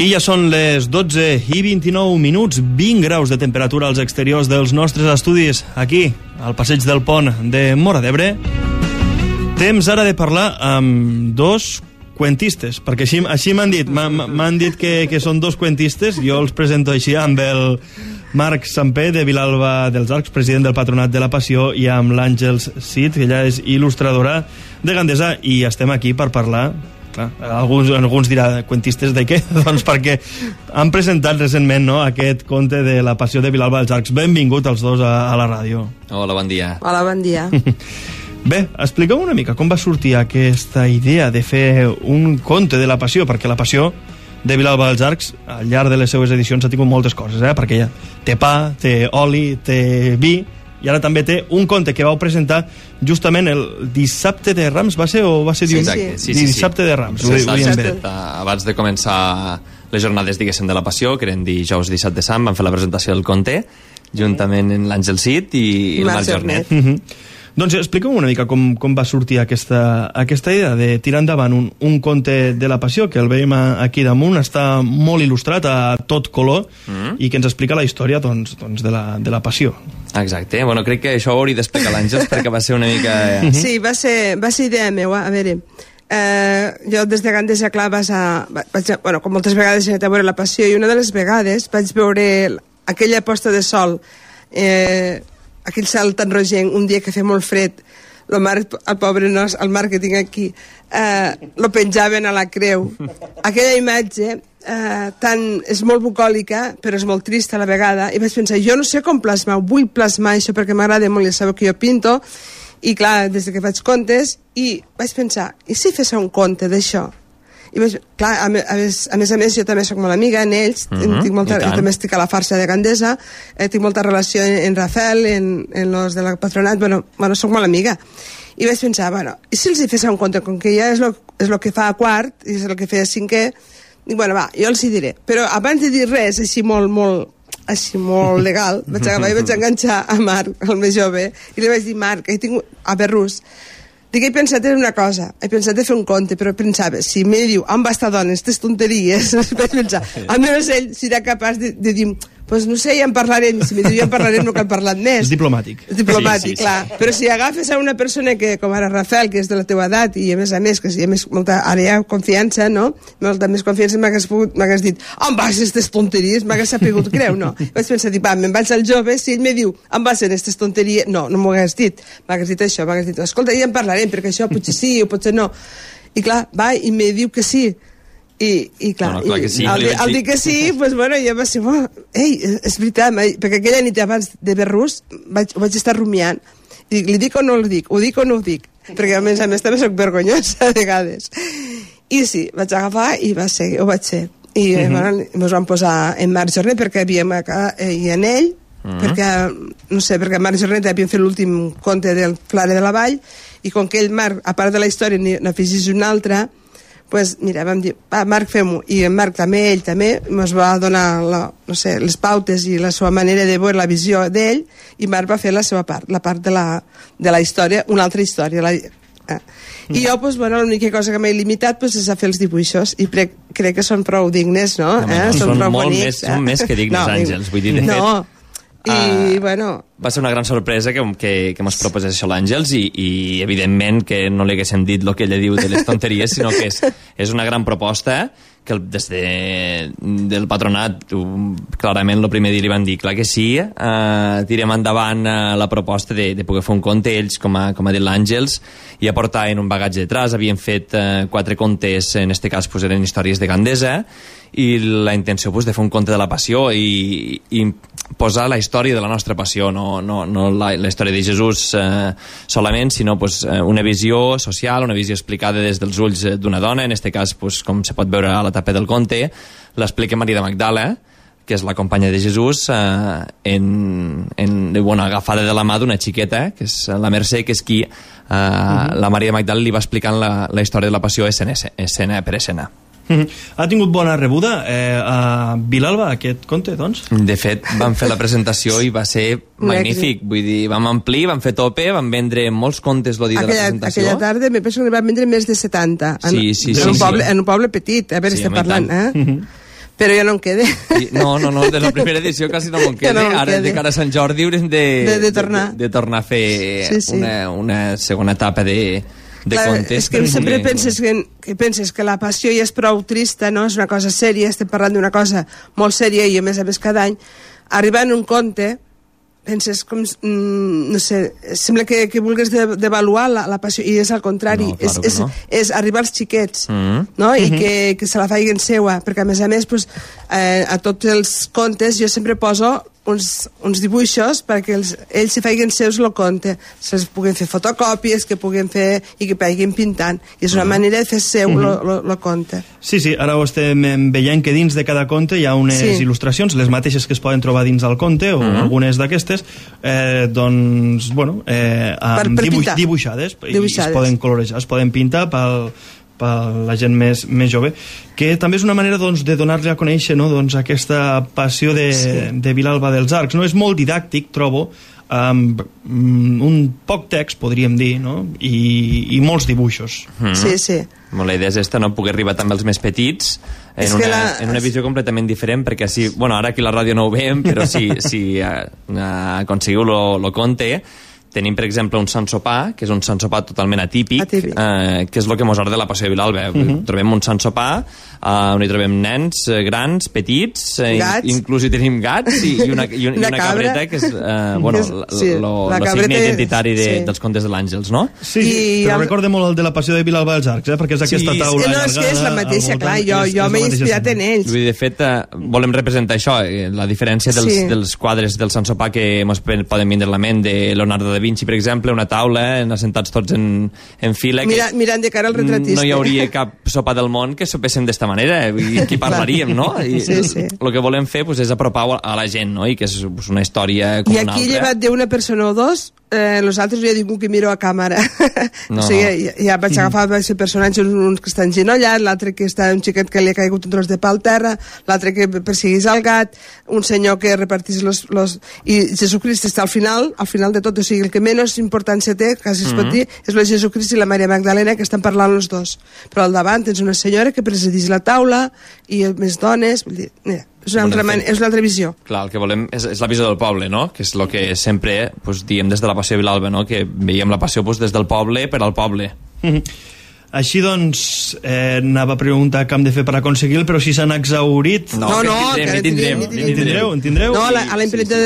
I ja són les 12:29, 20 graus de temperatura als exteriors dels nostres estudis, aquí, al passeig del Pont de Móra d'Ebre. Temps ara de parlar amb dos cuentistes, perquè així m'han dit, m'han dit que són dos cuentistes. Jo els presento així amb el Marc Sampé, de Vilalba dels Arcs, president del Patronat de la Passió, i amb l'Àngels Cid, que ella és il·lustradora de Gandesa, i estem aquí per parlar. Clar, alguns dirà, cuentistes de què? Doncs perquè han presentat recentment, no, aquest conte de la Passió de Vilalba dels Arcs. Benvingut els dos a la ràdio. Hola, bon dia. Hola, bon dia. Bé, expliqueu una mica com va sortir aquesta idea de fer un conte de la Passió, perquè la Passió de Vilalba dels Arcs, al llarg de les seues edicions, ha tingut moltes coses, perquè ja té pa, té oli, té vi, i ara també té un conte que vau presentar justament el dissabte de Rams, va ser o va ser diumenge? Sí. Dissabte de Rams. Abans de començar les jornades, diguéssim, de la Passió, que eren dijous 17 de Sant, van fer la presentació del conte, juntament amb l'Àngel Cid i el Marc Jornet. Doncs expliqueu una mica com va sortir aquesta idea de tirar endavant un conte de la Passió, que el veiem aquí damunt, està molt il·lustrat a tot color, i que ens explica la història doncs, de la Passió. Exacte, bueno, crec que això ho hauria d'explicar l'Àngels, perquè va ser una mica... Sí, va ser idea meva. A veure, jo des de Gandesa, clar, com moltes vegades he anat a veure la Passió, i una de les vegades vaig veure aquella posta de sol, aquell cel tan rogenc, un dia que feia molt fred, el pobre nos, el Marc que tinc aquí, lo penjaven a la creu. Aquella imatge és molt bucòlica, però és molt trista a la vegada, i vaig pensar, jo no sé com plasmar, vull plasmar això perquè m'agrada molt, ja sabeu que jo pinto, i clar, des que faig contes, i vaig pensar, i si fes un conte d'això? I clar, a més, jo també soc molt amiga en ells, també estic a la farsa de Gandesa, tinc molta relació en Rafael, en los de la Patronat, bueno, soc molt amiga. I vaig pensar, i si els hi fes un conte, com que ja és el que fa a quart, i és el que feia a cinquè, dic, jo els hi diré. Però abans de dir res, així molt legal, vaig enganxar a Marc, el més jove, i li vaig dir, Marc, a Berrús, he pensat en una cosa, he pensat de fer un conte, però pensava, si me diu, on va estar dones, aquestes tonteries, vaig pensar, almenys ell serà capaç de dir, doncs no sé, ja en parlarem, si me diu ja en parlarem no cal parlar més. És diplomàtic. És diplomàtic, clar. Però si agafes a una persona que, com ara Rafael, que és de la teva edat, i a més, que si hi ha molta àrea de confiança, no? Molta més confiança, m'hagués dit, on vas aquestes tonteries? M'hagués sapigut creu, no? Vaig pensar, me'n vaig al jove, si ell me diu, on vas aquestes tonteries? No m'ho hagués dit. M'hagués dit això, m'hagués dit, escolta, ja en parlarem, perquè això potser sí o potser no. I clar, va, i me diu que sí. I clar, al dir que sí, doncs jo va ser, ei, és veritat, perquè aquella nit abans de Berrús ho vaig estar rumiant, i dic, li dic o no li dic, ho dic o no ho dic, perquè a més també soc vergonyosa a vegades, i sí, vaig agafar i ho vaig ser, i ens vam posar en Marc Jornet perquè havíem i en ell, perquè, no sé, perquè Marc Jornet havíem fet l'últim conte del Clare de la Vall, i com que ell, Marc, a part de la història n'afegís una altra, doncs mira, vam dir, Marc, fem-ho, i en Marc també, ell també ens va donar les pautes i la seva manera de veure la visió d'ell, i Marc va fer la seva part, la part de la història, una altra història. I jo, l'única cosa que m'he limitat és a fer els dibuixos, i crec que són prou dignes, no? Són molt més que dignes, Àngels, vull dir, de fet. I, va ser una gran sorpresa que mos proposés això l'Àngels, i evidentment que no li haguéssim dit el que ella diu de les tonteries, sinó que és una gran proposta que des del Patronat clarament el primer dia li van dir clar que sí, tirem endavant la proposta de poder fer un conte. Ells, com ha dit l'Àngels, ja portaven un bagatge detrás, havien fet 4 contes, en este cas eren històries de Gandesa, i la intenció de fer un conte de la Passió i posar la història de la nostra passió, no la història de Jesús solament, sinó una visió social, una visió explicada des dels ulls d'una dona. En aquest cas, com se pot veure a la tapa del conte, l'explica Maria de Magdala, que és la companya de Jesús, agafada de la mà d'una xiqueta, que és la Mercè, que és qui la Maria de Magdala li va explicant la història de la passió escena per escena. Ha tingut bona rebuda a Vilalba aquest conte, doncs? De fet, vam fer la presentació i va ser magnífic. Vull dir, vam omplir, vam fer tope, vam vendre molts contes el dia de la presentació. Aquella tarda me penso que vam vendre més de 70. Sí. En un poble petit, a veure, estem parlant, Però ja no em quede. No, de la primera edició quasi no me'n queda. Ara, de cara a Sant Jordi, haurem de tornar a fer una segona etapa de contes. És que sempre penses que la passió ja és prou trista, no? És una cosa sèria, estem parlant d'una cosa molt sèria i a més cada any. Arribant un conte, penses com, no sé, sembla que vulguis devaluar la passió, i és al contrari, no, claro és arribar als xiquets, no? I que se la faiguen seua, perquè a més, a tots els contes jo sempre poso uns dibuixos perquè ells s'hi faiguen seus el conte, se'ls puguen fer fotocòpies, que puguen fer i que vagin pintant, i és una manera de fer seu el conte. Sí, ara ho estem veient que dins de cada conte hi ha unes il·lustracions, les mateixes que es poden trobar dins del conte o algunes d'aquestes, doncs, bueno, dibuixades, i es poden colorejar, es poden pintar per la gent més jove, que també és una manera doncs, de donar-li a conèixer, no? Doncs, aquesta passió de Vilalba dels Arcs, no? És molt didàctic, trobo, amb un poc text, podríem dir, no? I molts dibuixos. Sí. La idea és esta, no? Poder arribar també als més petits en una visió completament diferent, perquè si, bueno, ara aquí a la ràdio no ho veiem, però si aconseguiu lo conte, tenim, per exemple, un Sant Sopar, que és un Sant Sopar totalment atípic. Que és el que mos agrada de la passió de Vilalba. Trobem un Sant Sopar on hi trobem nens grans, petits, inclús hi tenim gats i una cabreta, que és el signe identitari dels contes de l'Àngels, no? Sí, però recorda molt el de la passió de Vilalba dels Arcs, perquè és aquesta taula allargada. És que és la mateixa, clar, jo m'he inspirat en ells. De fet, volem representar això, la diferència dels quadres del Sant Sopar que ens poden vindre a la ment, de Leonardo da Vinci, per exemple, una taula, assentats tots en fila. Mirant de cara al retratista. No hi hauria cap sopar del món que sopéssim d'esta manera, i aquí parlaríem, no? I el que volem fer és apropar a la gent, no? I que és una història com una altra. I aquí, llevat d'una persona o dos, nosaltres ja dic que miro a càmera. O sigui, ja vaig agafar aquest personatge, uns que estan genollats, l'altre que està un xiquet que li ha caigut un tros de pa al terra, l'altre que perseguís el gat, un senyor que repartís los... I Jesucrist està al final de tot, o sigui, el que menys importància té, quasi es pot dir, és el Jesucrist i la Maria Magdalena, que estan parlant els dos. Però al davant tens una senyora que presideix la taula i més dones, vull dir, és una altra visió. Clar, el que volem és la visió del poble, no? Que és el que sempre diem des de la passió de Vilalba, no? Que veiem la passió des del poble per al poble. Així doncs, anava a preguntar què hem de fer per aconseguir-lo, però si s'han exhaurit... No, en tindreu. No, a la imprenta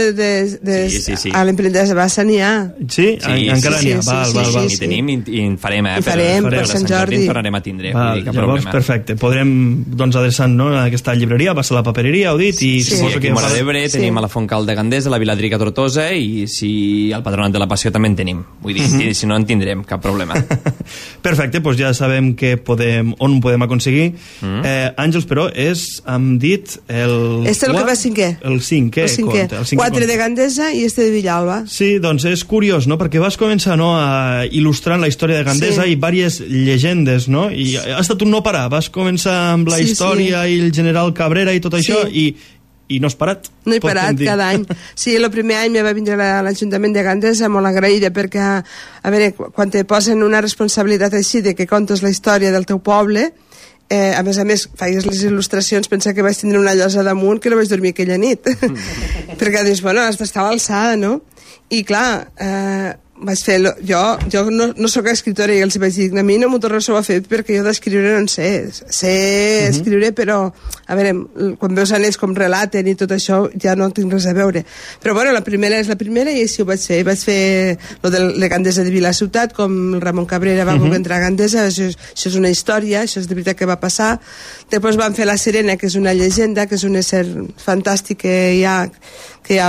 a l'imprenta de Bassa n'hi ha. Sí? Encara n'hi ha. Val. I tenim i en farem, I farem, per Sant Jordi. Tornarem a tindre. Llavors, perfecte. Podrem, doncs, adreçant a aquesta llibreria, Bassa la papereria, heu dit, i suposo que... A Móra d'Ebre tenim a la Fontcal de Gandesa, a la Viladrica Tortosa, i si al Patronat de la Passió també en tenim. Vull dir, si no en tindrem, cap problema. Perfecte, doncs ja sabem on podem aconseguir. Àngels, però, hem dit el... Este és el que va cinquè. El cinquè conte. 4 de Gandesa i este de Vilalba. Sí, doncs és curiós, no?, perquè vas començar a il·lustrant la història de Gandesa i diverses llegendes, no? I ha estat un no parar. Vas començar amb la història i el general Cabrera i tot això, i no has parat. No he parat, cada any. Sí, el primer any me va vindre l'Ajuntament de Gandesa molt agraïda, perquè, a veure, quan te posen una responsabilitat així de que contes la història del teu poble, a més, feies les il·lustracions, pensa que vaig tindre una llosa damunt que no vaig dormir aquella nit. Perquè dius, bueno, has d'estar a l'alçada, no? I clar, vaig fer... Jo no soc escriptora i els vaig dir, a mi no m'ho tornes a fer perquè jo d'escriure no en sé. Sé escriure, però a veure, quan veus anells com relaten i tot això ja no tinc res a veure. Però bueno, la primera és la primera i així ho vaig fer. Vaig fer lo de Gandesa de Vila Ciutat, com el Ramon Cabrera va voler entrar a Gandesa, això és una història, això és de veritat que va passar. Després van fer La Serena, que és una llegenda, que és un ésser fantàstic que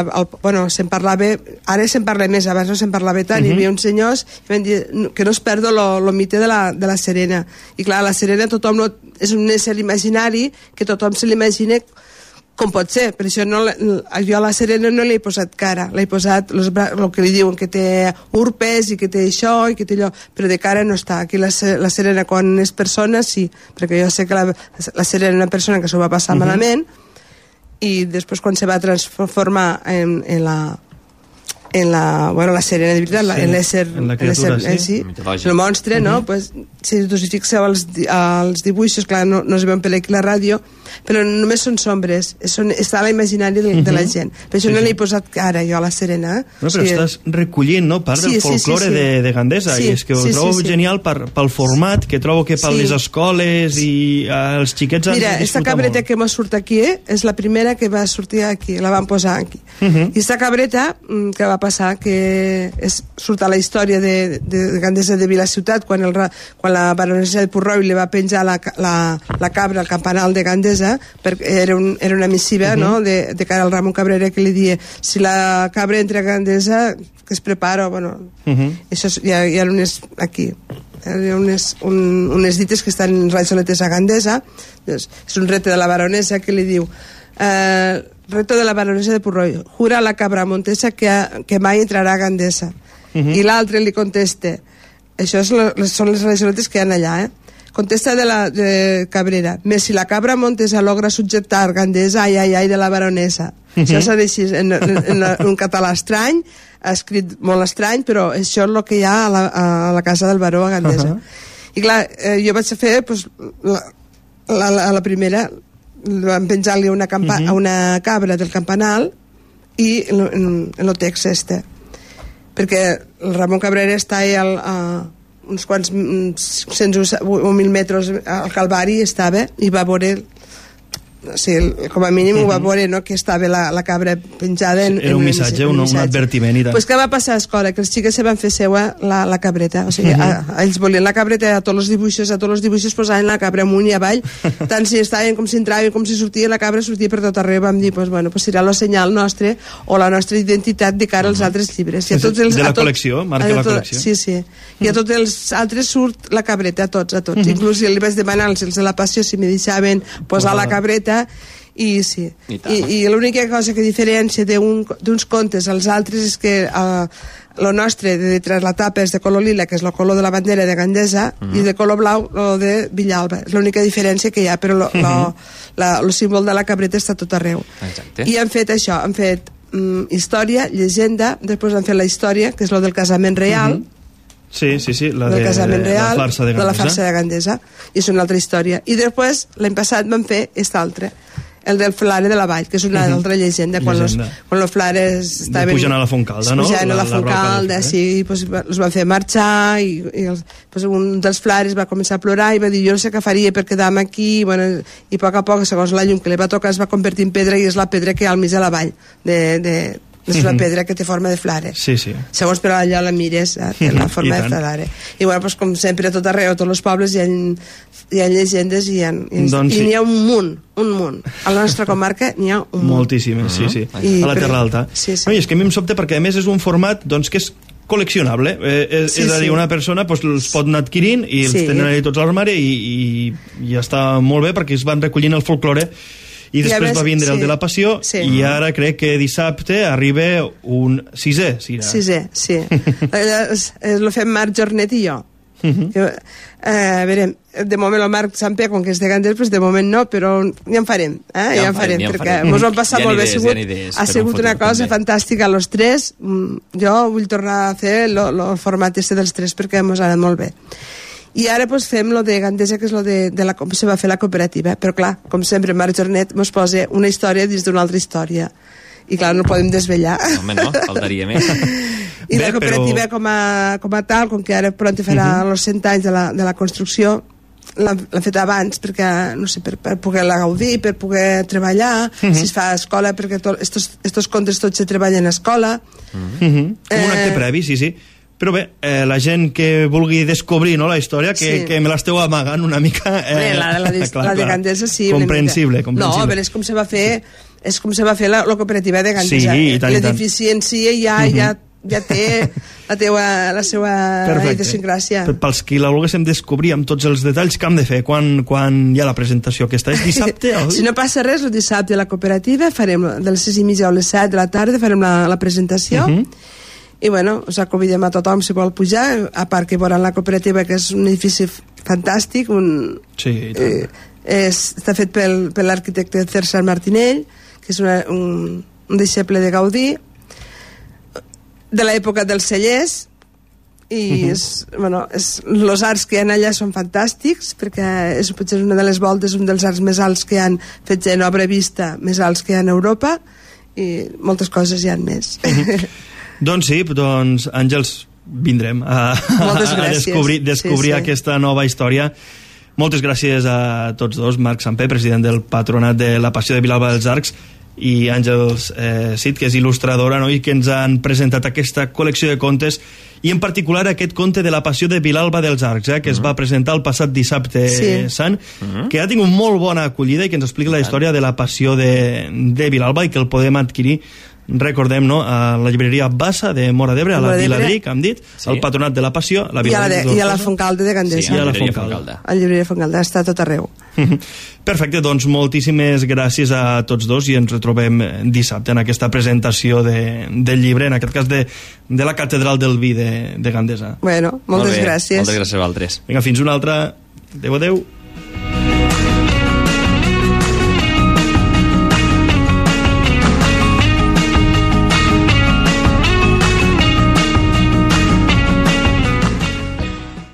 bueno, se'n parlava, ara se'n parla més, abans no se'n parlava tant, hi havia uns senyors que van dir que no es perdo el mite de la Serena. I clar, la Serena és un ésser imaginari que tothom se l'imagina com pot ser, per això jo a la Serena no li he posat cara, l'he posat el que li diuen, que té urpes i que té això i que té allò, però de cara no està. Aquí la Serena, quan és persona, sí, perquè jo sé que la Serena és una persona que s'ho va passar malament, i després quan se va transformar en la Serena de veritat, en l'ésser, el monstre, no? Pues, si us fixeu els dibuixos, clar, no es veuen per aquí la ràdio, però només són sombres, està a l'imaginari de la gent. Per això no l'he posat cara jo a la Serena. No, però estàs recollint, no?, part del folklore de Gandesa, i és que ho trobo genial pel format, que trobo que per les escoles i els xiquets han de disfrutar molt. Mira, esta cabreta que m'ha surt aquí és la primera que va sortir aquí, la van posar aquí. I esta cabreta, que va passar, que surt a la història de Gandesa de Vilaciutat, quan la baronessa de Purroi li va penjar la cabra al campanal de Gandesa, era una missiva, no?, de cara al Ramon Cabrera, que li dia, si la cabra entra a Gandesa, que es prepara, bueno, això hi ha unes aquí, hi ha unes dites que estan rajoletes a Gandesa. És un repte de la baronessa que li diu, repte de la baronessa de Purroi, jura a la cabra montesa que mai entrarà a Gandesa. I l'altre li contesta, això són les rajoletes que hi ha allà, contesta de Cabrera, més si la cabra montesa logra subjectar Gandesa, ai, de la baronesa. Això s'ha així en un català estrany, escrit molt estrany, però això és el que hi ha a la casa del baró a Gandesa. I clar, jo vaig fer la primera, vam penjar-li una cabra del campanal i en el text este, perquè el Ramon Cabrera està a uns quants 100 o 1.000 metres al Calvari, estava i va veure, com a mínim ho va veure, no?, que estava la cabra penjada era un missatge, un advertiment i tal. Pues què va passar a l'escola? Que els xiques se van fer seua la cabreta, o sigui, ells volien la cabreta, a tots els dibuixos posaven la cabra amunt i avall, tant si estaven com si entraven, com si sortia, la cabra sortia per tot arreu. Vam dir, pues serà el senyal nostre o la nostra identitat de cara als altres llibres. De la col·lecció, marca la col·lecció. Sí. I a tots els altres surt la cabreta, a tots. Inclús li vaig demanar als de la Passió si me deixaven posar la cabreta. I sí, i l'única cosa que diferència d'uns contes als altres és que el nostre de detrás la tapa és de color lila, que és el color de la bandera de Gandesa, i de color blau el de Villalba. És l'única diferència que hi ha, però el símbol de la cabreta està tot arreu. I han fet això, han fet història, llegenda, després han fet la història, que és el del casament real. Sí, la de la farsa de Gandesa, i és una altra història. I després, l'any passat, van fer aquesta altra, el del Flare de la Vall, que és una altra llegenda, quan els flares estaven pujant a la Fontcalda, no? Pujant a la Fontcalda, sí, els van fer marxar, i un dels flares va començar a plorar i va dir, jo no sé què faria per quedar-me aquí, i a poc, segons la llum que li va tocar, es va convertir en pedra, i és la pedra que hi ha al mig de la vall és una pedra que té forma de flare. Sí. Segons per allà la mires, té la forma de flare. I com sempre, a tot arreu, a tots els pobles hi ha llegendes i n'hi ha un munt. A la nostra comarca n'hi ha un munt. Moltíssimes, sí. A la Terra Alta. És que a mi em sobta perquè a més és un format que és col·leccionable, és a dir, una persona els pot anar adquirint i els tenen allà tots a l'armari i està molt bé perquè es van recollint el folklore. I després va vindre el de la Passió i ara crec que dissabte arriba un sisè. Sisè. Lo fem Marc Jornet i jo. A veure, de moment el Marc Samper, com que és de Gandesa, de moment no, però ja en farem, perquè ens ho hem passat molt bé. Ha sigut una cosa fantàstica a los tres. Jo vull tornar a fer el format dels tres perquè ens ha anat molt bé. I ara fem lo de Gandesa, que és lo de com se va fer la cooperativa, però clar, com sempre Marc Jornet ens posa una història dins d'una altra història i clar, no podem desvetllar. Home, no, faltaria més. I la cooperativa com a tal, com que ara pront farà els 100 anys de la construcció, l'han fet abans perquè, no sé, per poder la gaudir, per poder treballar, si es fa a escola, perquè estos contes tots se treballen a escola. Un acte previ, sí. Però bé, la gent que vulgui descobrir la història, que me l'esteu amagant una mica... La de Gandesa, sí. Comprensible. No, però és com se va fer la cooperativa de Gandesa. Sí, i tant. L'edifici en si ja té la seva idiosincràsia. Pels qui la volguéssim descobrir amb tots els detalls, què hem de fer quan hi ha la presentació aquesta? És dissabte? Si no passa res, el dissabte a la cooperativa farem de les 6:30 a les 7 de la tarda farem la presentació. I us convidem a tothom si vol pujar, a part que veuran la cooperativa, que és un edifici fantàstic, està fet per l'arquitecte César Martinell, que és un deixeble de Gaudí, de l'època dels cellers, i els arcs que hi ha allà són fantàstics, perquè és potser una de les voltes, un dels arcs més alts que hi han fets en obra vista, més alts que hi ha en Europa, i moltes coses hi ha més. Doncs sí, Àngels, vindrem a descobrir aquesta nova història. Moltes gràcies a tots dos, Marc Samper, president del Patronat de la Passió de Vilalba dels Arcs, i Àngels Cid, que és il·lustradora, no? I que ens han presentat aquesta col·lecció de contes, i en particular aquest conte de la Passió de Vilalba dels Arcs, que es va presentar el passat dissabte sant, que ha tingut molt bona acollida i que ens explica la història de la Passió de Vilalba, i que el podem adquirir, recordem, no, a la llibreria Bassa de Móra d'Ebre, a la Viladrí, que hem dit, el Patronat de la Passió, i a la Fontcalda de Gandesa. Sí, a la Fontcalda. A la llibreria Fontcalda, està tot arreu. Perfecte, doncs moltíssimes gràcies a tots dos, i ens retrobem dissabte en aquesta presentació del llibre, en aquest cas de la Catedral del Vi de Gandesa. Bueno, moltes gràcies. Moltes gràcies a vosaltres. Vinga, fins una altra. Adéu, adéu.